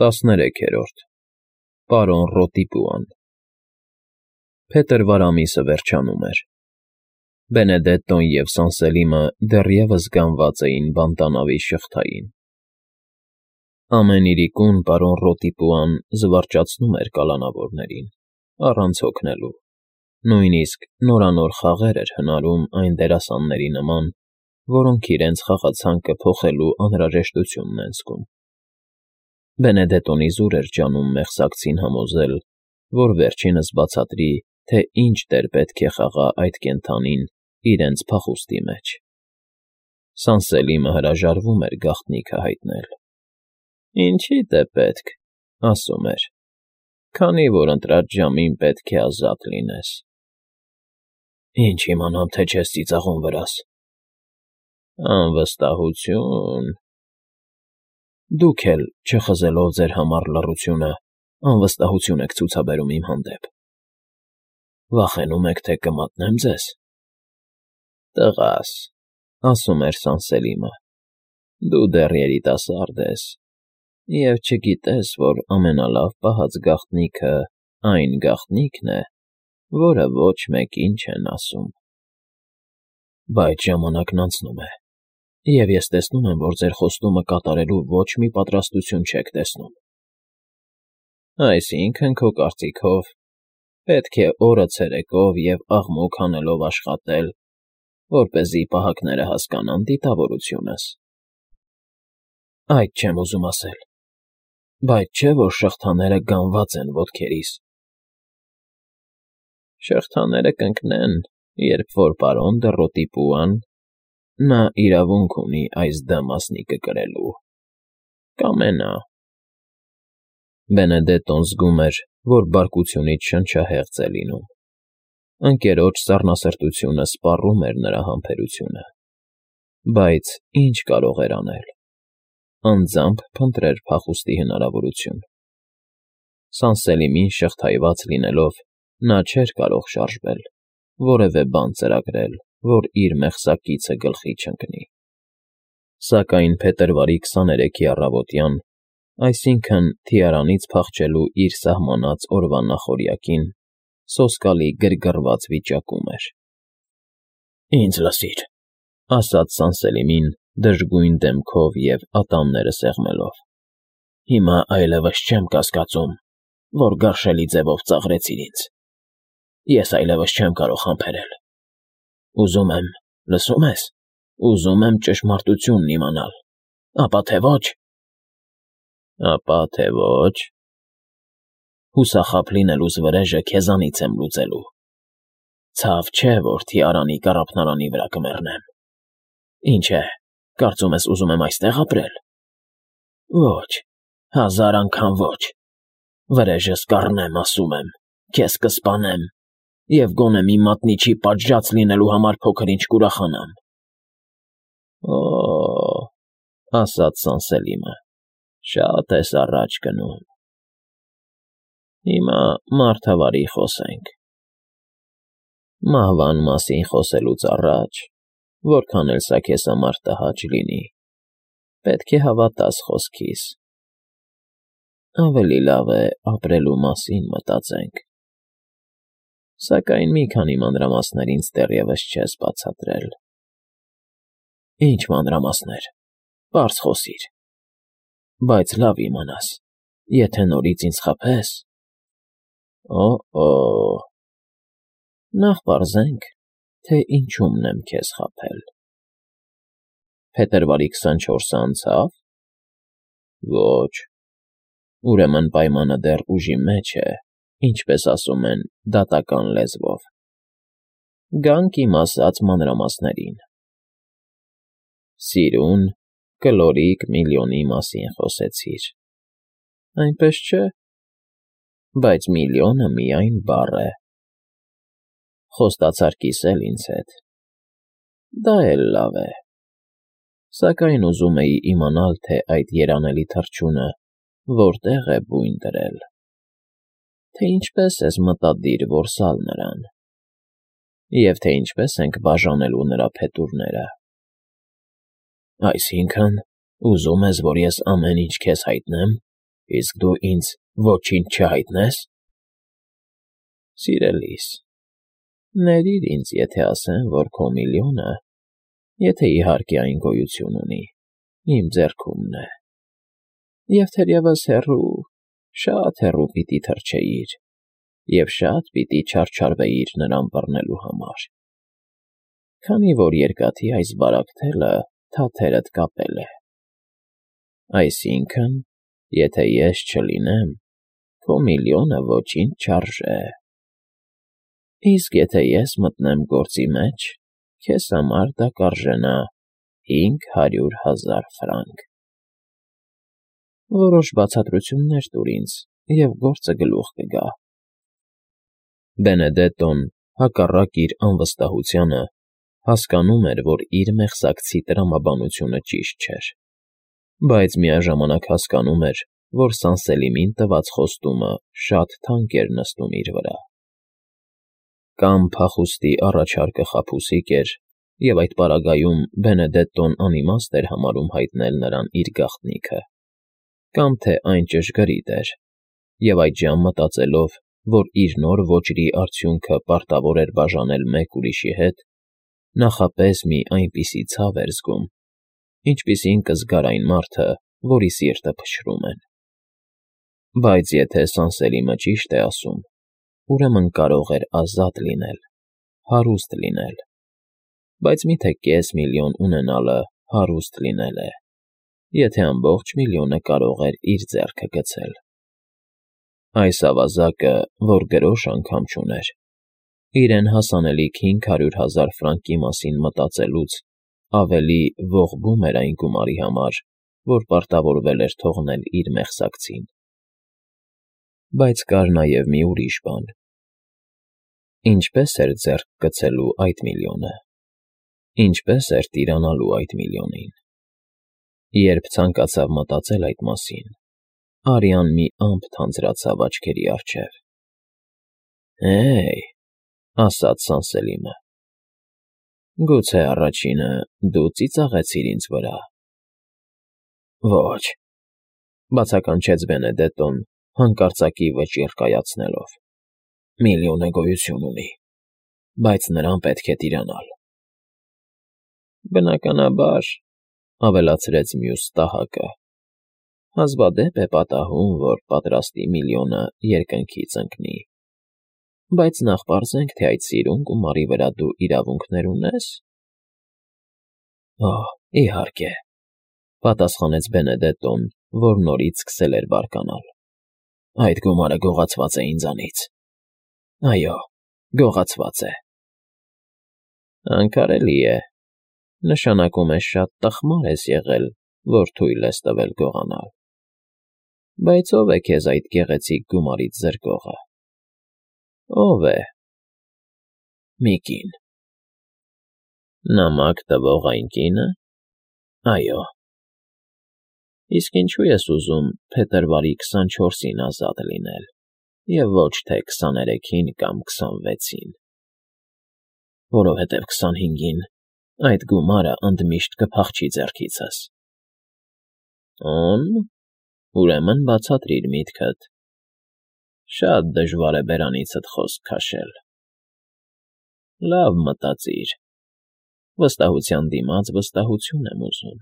13-րդ Պարոն Ռոտիպուան Փետրվար ամիսը վերջանում էր։ Բենեդետտոն և Սանսելիմը դեռևս գանված էին բանտանավի շղթային։ Ամեն իրիկուն պարոն Ռոտիպուան զվարճացնում էր կալանավորներին, առանց հոգնելու, նույնիսկ նորանոր խաղեր էր հնարում այն դերասանների նման, որոնք իրենց խաղացանկը փոխելու անհրաժեշտությունն են զգում։ Բենեդետտոն իզուր էր ջանում մեղսակցին համոզել, որ վերջինս բացատրի, թե ինչ դեր պետք է խաղա այդ կենդանին իրենց փախուստի մեջ։ Սանսելիմը հրաժարվում էր գաղտնիքը հայտնել։ «Ինչի՞դ է պետք,֊ ասում էր,֊ քանի որ ընտրած ժամին պետք է ազատ լինես»։ «Ինչ իմանամ, թե չես ծիծաղում վրաս»։ «Անվստահություն… Դուք էլ, չխզելով ձեր համառ լռությունը, անվստահություն եք ցուցաբերում իմ հանդեպ։ Վախենում եք, թե կմատնեմ ձեզ»։ «Տղաս,֊ ասում էր Սանսելիմը,֊ դու դեռ երիտասարդ ես և չգիտես, որ ամենալավ պահած գաղտնիքը այն գաղտնիքն է, որը ոչ մեկին չեն ասում։ Բայց ժամանակն անցնում է, և ես տեսնում եմ, որ ձեր խոստումը կատարելու ոչ մի պատրաստություն չեք տեսնում։ Այսինքն, քո կարծիքով, պետք է օրը ցերեկով և աղմուկ հանելով աշխատել, որպեսզի պահակները հասկանան դիտավորությունս։ Այդ չեմ ուզում ասել, բայց չէ՞ որ շղթաները գանված են ոտքերիս։ Շղթաները կընկնեն, երբ որ պարոն Ռոտիպուան, նա իրավունք ունի այս «Դ» մասնիկը կրելու, կամենա։ Բենեդետտոն զգում էր, որ բարկությունից շնչահեղձ է լինում։ Ընկերոջ սառնասրտությունը սպառում էր նրա համբերությունը։ Բայց ինչ կարող էր անել։ Անձամբ փնտրեր փախուստի հնարավորություն։ Սանսելիմին շղթայված լինելով, նա չէր կարող շարժվել, որևէ բան ծրագրել, որ իր մեղսակիցը գլխի չընկնի։ Սակայն փետրվարի 23-ի առավոտյան, այսինքն՝ թիարանից փախչելու իր սահմանած օրվա նախօրյակին, սոսկալի գրգռված վիճակում էր։ «Ինձ լսիր,֊ ասաց Սանսելիմին դժգույն դեմքով և ատամները սեղմելով,֊ հիմա այլևս չեմ կասկածում, որ գարշելի ձևով ծաղրեցիր ինձ։ Ես այլևս չեմ կարող համբերել։ Ուզում եմ, լսո՞ւմ ես, ուզում եմ ճշմարտությունն իմանալ, ապա թե ոչ։ Ապա թե ոչ։ Հուսախաբ լինելուս վրեժը քեզանից եմ լուծելու։ Ցավ չէ, որ թիարանի կառափնարանի վրա կմեռնեմ։ Ինչ է, կարծում ես ուզում եմ այստեղ ապրել։ Ոչ, 1000 անգամ ոչ։ Վրեժս կառնեմ, ասում եմ, քեզ կսպանեմ, և գոնե մի մատնիչի պատժած լինելու համար փոքր-ինչ կուրախանամ։ Օ՜, ասաց Սանսելիմը, շատ ես առաջ գնում։ Հիմա մարդավարի խոսենք։ Մահվան մասին խոսելուց առաջ, որքան էլ սա քեզ համար տհաճ լինի, պետք է հավատաս խոսքիս։ Ավելի լավ է ապրելու մասին մտածենք։ Սակայն մի քանի մանրամասներ ինձ դեռևս չես բացատրել։ Ինչ մանրամասներ, պարզ խոսիր։ Բայց լավ իմանաս, եթե նորից ինձ խաբես… Օ՜, նախ պարզենք, թե ինչումն եմ քեզ խաբել։ Փետրվարի 24-ը անցա՞վ։ Ոչ։ Ուրեմն պայմանը դեռ ուժի մեջ է, ինչպես ասում են դատական լեզվով։ Գանք իմ ասած մանրամասներին։ Սիրուն, կլորիկ միլիոնի մասին խոսեցիր։ Այնպես չէ։ Բայց միլիոնը միայն բառ է։ Խոստացար կիսել ինձ հետ։ Դա էլ լավ է։ Սակայն ուզում էի իմանալ, թե այդ երանելի թռչունը որտեղ է բույն դրել, թե ինչպես ես մտադիր որսալ նրան, և թե ինչպես ենք բաժանելու նրա փետուրները։ Այսինքն, ուզում ես, որ ես ամեն ինչ քեզ հայտնեմ։ Իսկ դու ինձ ոչինչ չհայտնես։ Սիրելիս, ներիր ինձ, եթե ասեմ, որ քո միլիոնը, եթե իհարկե այն գոյություն ունի, իմ ձեռքումն է, և թերևս հեռու, շատ հեռու պիտի թռչեիր, և շատ պիտի չարչարվեիր նրան բռնելու համար, քանի որ երկաթի այս բարակ թաթերդ կապել է։ Այսինքն, եթե ես չլինեմ, քո միլիոնը ոչինչ չարժե։ Իսկ եթե ես մտնեմ գործի մեջ, քեզ համար դա կարժենա 500,000 ֆրանկ։ Որոշ բացատրություններ տուր ինձ, և գործը գլուխ կգա։ Բենեդետտոն, հակառակ իր անվստահությանը, հասկանում էր, որ իր մեղսակցի տրամաբանությունը ճիշտ չէր, բայց միաժամանակ հասկանում էր, որ Սանսելիմին տված խոստումը շատ թանկ էր նստում իր վրա։ Կամ փախուստի առաջարկը խաբուսիկ էր, և այդ պարագայում Բենեդետտոն անիմաստ էր համարում հայտնել նրան իր գաղտնիքը, կամ թե այն ճշգրիտ էր, և այդժամ մտածելով, որ իր նոր ոճրի արդյունքը պարտավոր էր բաժանել մեկ ուրիշի հետ, նախապես մի այնպիսի ցավ էր զգում, ինչպիսին կզգար այն մարդը, որի սիրտը փշրում են։ Բայց եթե Սանսելիմը ճիշտ է ասում, ուրեմն կարող էր ազատ լինել, հարուստ լինել, բայց միթե կես միլիոն ունենալը հարուստ լինել է, եթե ամբողջ միլիոնը կարող էր իր ձեռքը գցել։ Այս ավազակը, որ գրոշ անգամ չուներ, իրեն հասանելիք 500,000 ֆրանկի մասին մտածելուց ավելի ողբում էր այն գումարի համար, որ պարտավորվել էր թողնել իր մեղսակցին։ Բայց կար նաև մի ուրիշ բան. ինչպե՞ս էր ձեռք գցելու այդ միլիոնը, ինչպե՞ս էր տիրանալու այդ միլիոնին։ Երբ ցանկացավ մտածել այդ մասին, արյան մի ամպ թանձրացավ աչքերի առջև։ «Հե՜յ,» ասաց Սանսելիմը,֊ գուցե առաջինը դու ծիծաղեցիր ինձ վրա։ «Ոչ,» բացականչեց Բենեդետտոն, հանկարծակի վճիռ կայացնելով,֊ միլիոնը գոյություն ունի, բայց նրան պետք է տիրանալ»։ Բնականաբար, ավելացրեց մյուս տահակը, հազվադեպ է պատահում, որ պատրաստի միլիոնը երկնքից ընկնի, բայց նախ պարզենք, թե այդ սիրուն գումարի վրա դու իրավունքներ ունե՞ս։ Օհ, իհարկե,֊ պատասխանեց Բենեդետտոն, որ նորից սկսել էր բարկանալ։ Այդ գումարը գողացված է ինձանից։ Այո, գողացված է։ Անկարելի է, նշանակում է շատ տխմար ես եղել, որ թույլ ես տվել գողանալ։ Բայց ո՞վ է քեզ այդ գեղեցիկ գումարից զրկողը։ Ո՞վ է։ Մի կին։ Նամակ տվող այն կինը։ Այո։ Իսկ ինչու ես ուզում փետրվարի 24-ին ազատ լինել, և ոչ թե 23-ին կամ 26-ին։ Որովհետև 25-ին այդ գումարը ընդմիշտ կփախչի ձեռքիցս։ Օն, ուրեմն բացատրիր միտքդ։ Շատ դժվար է բերանիցդ խոսք քաշել։ Լավ մտածիր։ Վստահության դիմաց վստահություն եմ ուզում։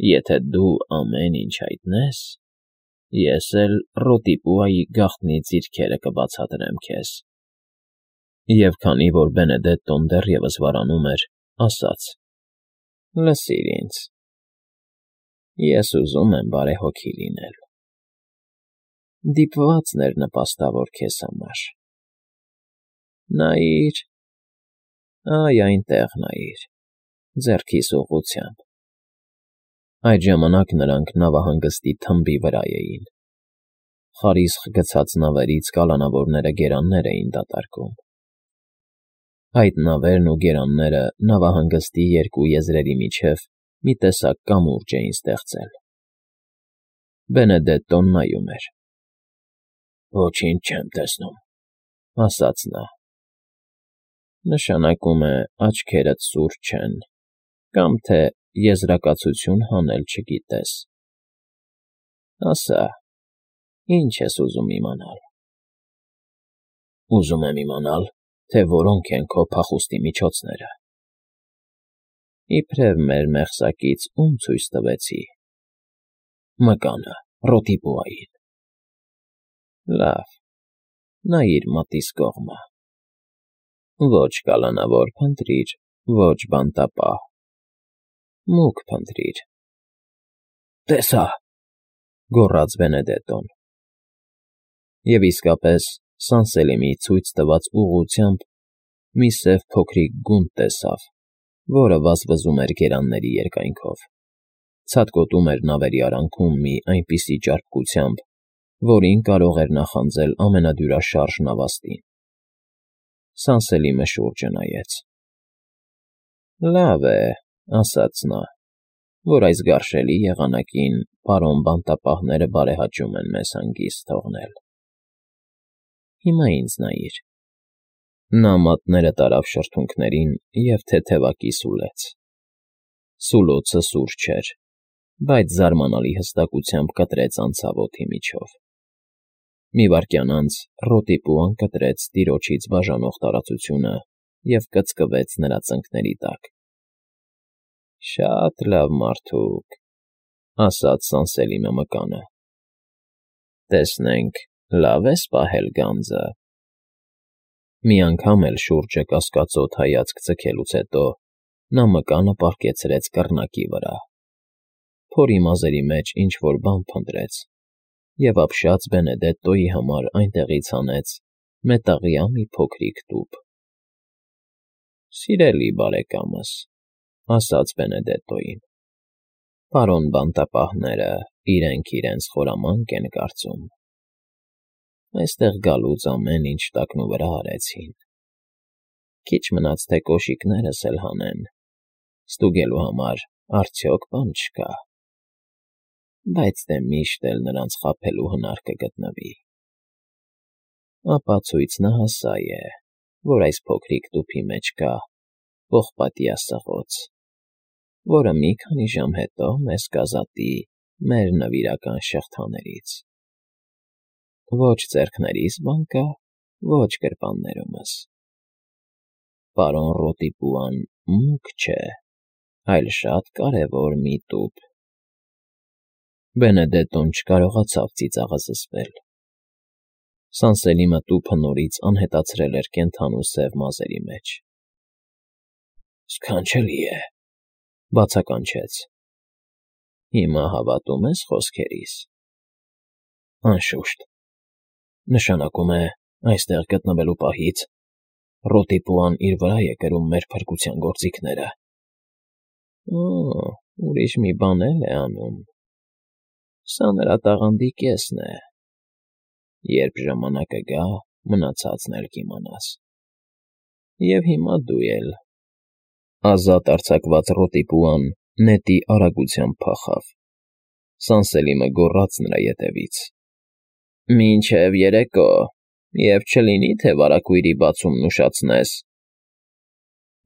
Եթե դու ամեն ինչ հայտնես, ես էլ Ռոտիպուայի գաղտնի ձիրքերը կբացատրեմ քեզ։ Եվ քանի որ Բենեդետտոն դեռևս վարանում էր, ասաց. Լսիր ինձ։ Ես ուզում եմ բարեհոգի լինել։ Դիպվածն էր նպաստավոր քեզ համար։ Նայիր, այ այնտեղ նայիր, ձեռքիս ուղղությամբ։ Այդ ժամանակ նրանք նավահանգստի թմբի վրա էին։ Խարիսխ գցած նավերից կալանավորները գերաններ էին դատարկում։ Այդ նավերն ու գերանները նավահանգստի երկու եզրերի միջև մի տեսակ կամուրջ էին ստեղծել։ Բենեդետտոն նայում էր։ Ոչինչ չեմ տեսնում,֊ ասաց նա։ Նշանակում է աչքերդ սուր չեն, կամ թե եզրակացություն հանել չգիտես։ Ասա, ինչ ես ուզում իմանալ։ Ուզում եմ իմանալ, թե որոնք են քո փախուստի միջոցները։ Իբրև մեր մեղսակից ում ցույց տվեցի։ Մկանը, Ռոտիպուային։ Լավ, նայիր մատիս կողմը։ Ոչ կալանավոր փնտրիր, ոչ բանտապահ։ Մուգ փնտրիր։ Տեսա, գոռաց Բենեդետոն։ Եվ իսկապես Սանսելիմի ցույց տված ուղղությամբ մի սև փոքրիկ գունդ տեսավ, որը վազվզում էր գերանների երկայնքով, ցատկոտում էր նավերի արանքում մի այնպիսի ճարպկությամբ, որին կարող էր նախանձել ամենադյուրաշարժ նավաստին։ Սանսելիմը շուրջը նայեց։ Լավ է, ասաց նա, որ այս գարշելի եղանակին պարոն բանտապահները բարեհաճում են մեզ հանգիստ թողնել։ Հիմա ինձ նայիր։ Նա մատները տարավ շրթունքներին և թեթևակի սուլեց։ Սուլոցը սուր չէր, բայց զարմանալի հստակությամբ կտրեց անցավոթի միջով։ Մի վայրկյան անց Ռոտիպուան կտրեց տիրոջից բաժանող տարածությունը և կծկվեց նրա ծնկների տակ։ Շատ լավ, մարդուկ, ասաց Սանսելիմը մկանը։ Տեսնենք, լավ ես պահել գանձը։ Մի անգամ էլ շուրջը կասկածոտ հայացք ձգելուց հետո նա մկանը պառկեցրեց կռնակի վրա, փորի մազերի մեջ ինչ-որ բան փնտրեց և ապշած Բենեդետտոյի համար այնտեղից հանեց մետաղյա մի փոքրիկ տուփ։ Սիրելի բարեկամս, ասաց Բենեդետտոյին, պարոն բանտապահները իրենք իրենց խորամանկ են կարծում։ Այստեղ գալուց ամեն ինչ տակնուվրա արեցին։ Քիչ մնաց, թե կոշիկներս էլ հանեն, ստուգելու համար արդյոք բան չկա։ Բայց դե միշտ էլ նրանց խաբելու հնար կգտնվի։ Ապացույցնահասա է, որ այս փոքրիկ տուփի մեջ կա պողպատյա սղոց, որը մի քանի ժամ հետո մեզ կազատի մեր նվիրական շղթաներից։ Ոչ ձեռքներիս բան կա, ոչ գրպաններումս։ Պարոն Ռոտիպուան մուգ չէ, այլ շատ կարևոր մի տուփ։ Բենեդետտոն չկարողացավ ծիծաղը զսպել։ Սանսելիմը տուփը նորից անհետացրել էր կենդանու սև մազերի մեջ։ Սքանչելի է, բացականչեց։ Հիմա հավատում ես խոսքերիս։ Անշուշտ։ Նշանակում է, այստեղ գտնվելու պահից Ռոտիպուան իր վրա է կրում մեր փրկության գործիքները։ Ուրիշ մի բան էլ է անում։ Սա նրա տաղանդի կեսն է։ Երբ ժամանակը գա, մնացածն էլ կիմանաս։ Եվ հիմա դու էլ։ Ազատ արձակված Ռոտիպուան նետի արագությամբ փախավ։ Սանսելիմը գոռաց նրա ետևից. Մինչև երեկո, և չլինի, թե վարագույրի բացումն ուշացնես։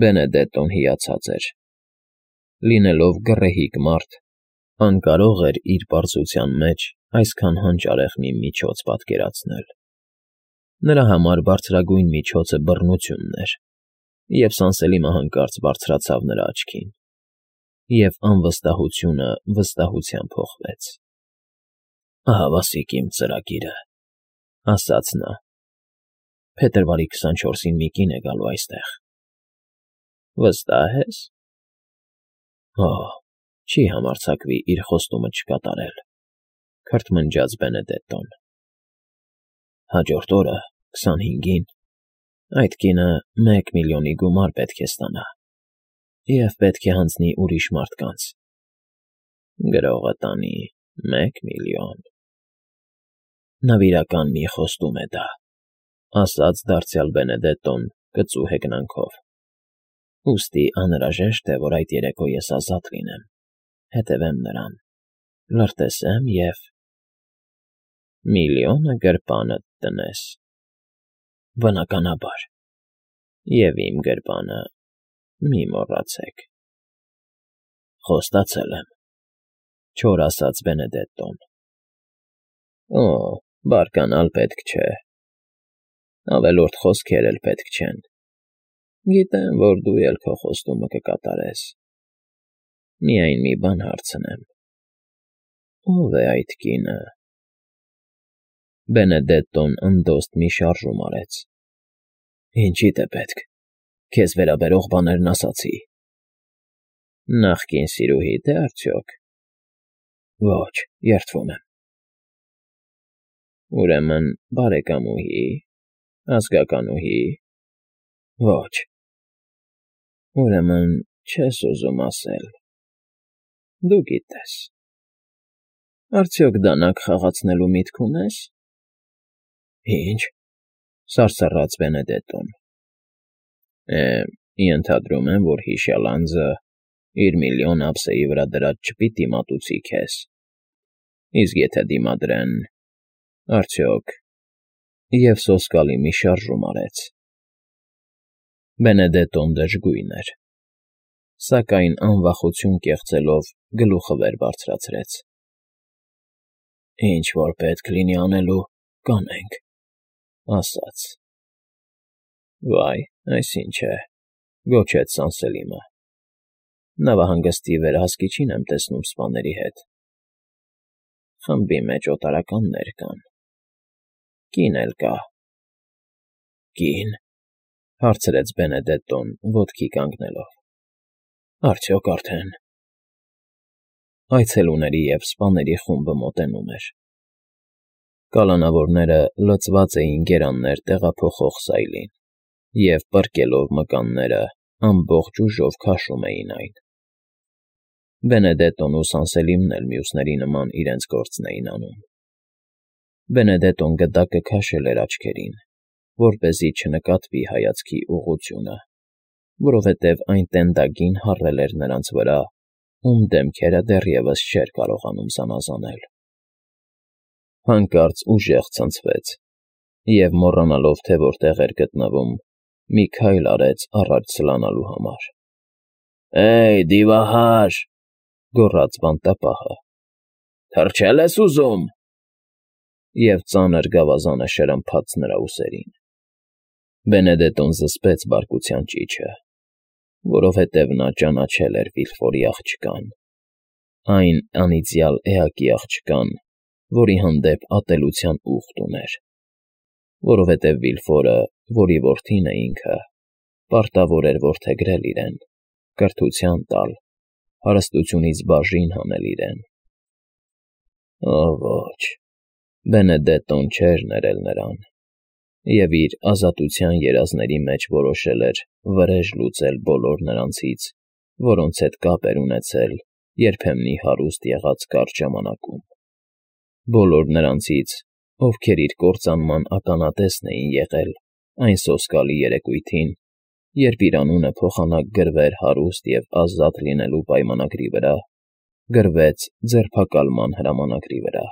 Բենեդետտոն հիացած էր։ Լինելով գռեհիկ մարդ, անկարող էր իր պարզության մեջ այսքան հանճարեղ մի միջոց պատկերացնել։ Նրա համար բարձրագույն միջոցը բռնությունն էր, և Սանսելիմը հանկարծ բարձրացավ նրա աչքին, և անվստահությունը վստահության փոխվեց։ Ահավասիկ իմ ծրագիրը, ասաց նա։ Փետրվարի 24-ին մի կին է գալու այստեղ։ Վստահ ես։ Չի համարձակվի իր խոստումը չկատարել, քրթմնջաց Բենեդետտոն։ Հաջորդ օրը, 25-ին, այդ կինը 1 միլիոնի գումար պետք է ստանա և պետք է հանձնի ուրիշ մարդկանց։ Գրողը տանի 1 միլիոն։ Նվիրական մի խոստում է դա, ասաց դարձյալ Բենեդետտոն կծու հեգնանքով։ Ուստի անհրաժեշտ է, որ այդ երեկո ես ազատ լինեմ, հետևեմ նրան, լրտեսեմ և… Միլիոնը գրպանդ տնես։ Բնականաբար։ Եվ իմ գրպանը մի մոռացեք։ Խոստացել եմ, չոր ասաց Բենեդետտոն։ Օ, բարկանալ պետք չէ, ավելորդ խոսքեր էլ պետք չեն, գիտեմ, որ դու էլ քո խոստումը կկատարես, միայն մի բան հարցնեմ, ո՞վ է այդ կինը։ Բենեդետտոն ընդոստ մի շարժում արեց։ Ինչի՞դ է պետք, քեզ վերաբերող բաներն ասացի։ Նախկին սիրուհի՞դ է արդյոք։ Ոչ, երդվում եմ։ Ուրեմն բարեկամուհի, ազգականուհի։ Ոչ։ Ուրեմն չես ուզում ասել։ Դու գիտես։ Արդյոք դանակ խաղացնելու միտք ունես։ Ինչ, սարսռաց Բենեդետտոն։ Ենթադրում եմ, որ հիշյալ անձը իր միլիոն ափսեի վրա դրած չպիտի մատուցի քեզ, իսկ եթե դիմադրեն, արդյոք… Եվ սոսկալի մի շարժում արեց։ Բենեդետտոն դժգույն էր, սակայն անվախություն կեղծելով գլուխը վեր բարձրացրեց։ Ինչ որ պետք լինի անելու, կանենք, ասաց։ Վայ, այս ինչ է, գոչեց Սանսելիմը։ Նավահանգստի վերահսկիչին եմ տեսնում սպաների հետ։ Խմբի մեջ օտարականներ կան։ Կին էլ կա։ Կին, հարցրեց Բենեդետտոն ոտքի կանգնելով։ Արդյոք արդեն… Այցելուների և սպաների խումբը մոտենում էր։ Կալանավորները լցված էին գերաններ տեղափոխող սայլին, և պռկելով մկանները ամբողջ ուժով քաշում էին այն։ Բենեդետտոն ու Սանսելիմն էլ մյուսների նման իրենց գործն էին անում։ Բենեդետտոն գդակը քաշել էր աչքերին, որպեսզի չնկատվի հայացքի ուղղությունը, որովհետև այն տենդագին հառել էր նրանց վրա, ում դեմքերը դեռևս չէր կարողանում զանազանել։ Հանկարծ ուժեղ ցնցվեց և, մոռանալով, թե որտեղ էր գտնվում, մի քայլ արեց առաջ սլանալու համար։ Էյ, դիվահար,֊ գոռաց բանտապահը,֊ թռչե՞լ ես ուզում։ Եվ ծանր գավազանը շրմփաց նրա ուսերին։ Բենեդետտոն զսպեց բարկության ճիչը, որովհետև նա ճանաչել էր Վիլֆորի աղջկան, այն անիծյալ էակի աղջկան, որի հանդեպ ատելության ուխտ ուներ, որովհետև Վիլֆորը, որի որդին է ինքը, պարտավոր էր որդեգրել իրեն, կրթության տալ, հարստությունից բաժին հանել իրեն։ Օ ոչ, Բենեդետտոն չէր ներել նրան, և իր ազատության երազների մեջ որոշել էր վրեժ լուծել բոլոր նրանցից, որոնց հետ կապ էր ունեցել երբեմնի հարուստ եղած կարճ ժամանակում, բոլոր նրանցից, ովքեր իր կործանման ականատեսն էին եղել այն սոսկալի երեկույթին, երբ իր անունը փոխանակ գրվեր հարուստ և ազատ լինելու պայմանագրի վրա, գրվեց ձերբակալման հրամանագրի վրա։